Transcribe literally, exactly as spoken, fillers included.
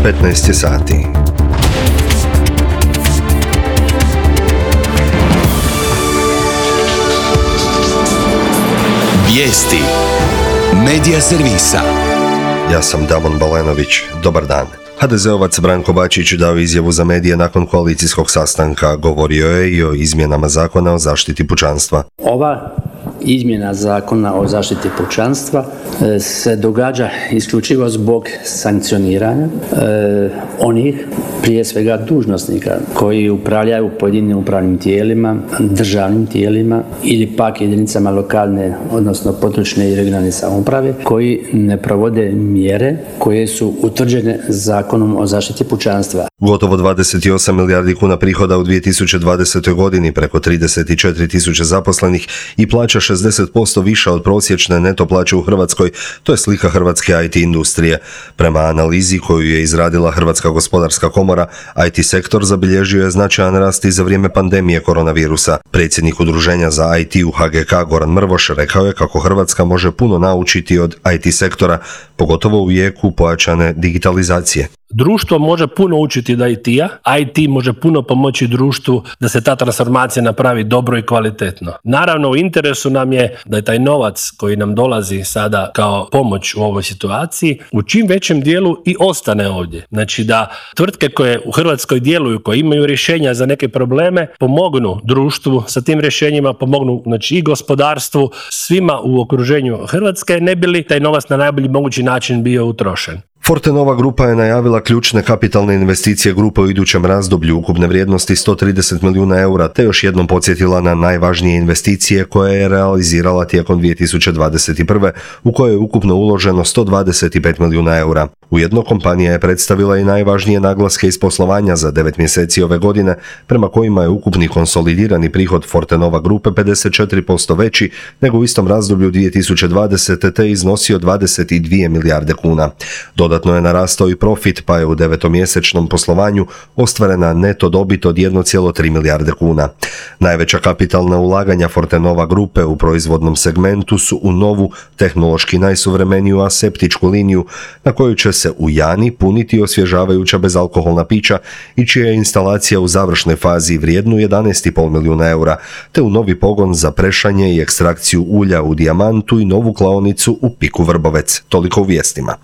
petnaest je sati. Vijesti Medija servisa. Ja sam Damon Balenović. Dobar dan. ha de zeovac Branko Bačić dao izjavu za medije nakon koalicijskog sastanka. Govorio je i o izmjenama zakona o zaštiti pučanstva. Ova izmjena zakona o zaštiti pučanstva se događa isključivo zbog sankcioniranja e, onih, prije svega dužnosnika, koji upravljaju pojedinim upravnim tijelima, državnim tijelima ili pak jedinicama lokalne, odnosno područne i regionalne samouprave, koji ne provode mjere koje su utvrđene zakonom o zaštiti pučanstva. Gotovo dvadeset osam milijardi kuna prihoda u dvije tisuće dvadesetoj godini, preko trideset četiri tisuće zaposlenih i plaća šezdeset posto viša od prosječne neto plaće u Hrvatskoj, to je slika hrvatske i te industrije. Prema analizi koju je izradila Hrvatska gospodarska komora, i te sektor zabilježio je značajan rast i za vrijeme pandemije koronavirusa. Predsjednik udruženja za i te u ha ge ka Goran Mrvoš rekao je kako Hrvatska može puno naučiti od i te sektora, pogotovo u jeku pojačane digitalizacije. Društvo može puno učiti od i te-a, i te može puno pomoći društvu da se ta transformacija napravi dobro i kvalitetno. Naravno, u interesu nam je da je taj novac koji nam dolazi sada kao pomoć u ovoj situaciji u čim većem dijelu i ostane ovdje. Znači da tvrtke koje u Hrvatskoj djeluju, koje imaju rješenja za neke probleme, pomognu društvu sa tim rješenjima, pomognu znači i gospodarstvu, svima u okruženju Hrvatske, ne bi li taj novac na najbolji mogući način bio utrošen. Fortenova grupa je najavila ključne kapitalne investicije grupe u idućem razdoblju ukupne vrijednosti sto trideset milijuna eura, te još jednom podsjetila na najvažnije investicije koje je realizirala tijekom dvije tisuće dvadeset prve. u kojoj je ukupno uloženo sto dvadeset pet milijuna eura. Ujedno kompanija je predstavila i najvažnije naglaske iz poslovanja za devet mjeseci ove godine, prema kojima je ukupni konsolidirani prihod Fortenova grupe pedeset četiri posto veći nego u istom razdoblju dvije tisuće dvadesete. te iznosio dvadeset dvije milijarde kuna. Dodatno je narastao i profit, pa je u devetomjesečnom poslovanju ostvarena neto dobit od jedan zarez tri milijarde kuna. Najveća kapitalna ulaganja Fortenova grupe u proizvodnom segmentu su u novu, tehnološki najsuvremeniju aseptičku liniju, na koju će se u Jani puniti osvježavajuća bezalkoholna pića i čija je instalacija u završnoj fazi vrijednu jedanaest zarez pet milijuna eura, te u novi pogon za prešanje i ekstrakciju ulja u Dijamantu i novu klaonicu u Piku Vrbovec. Toliko u vijestima.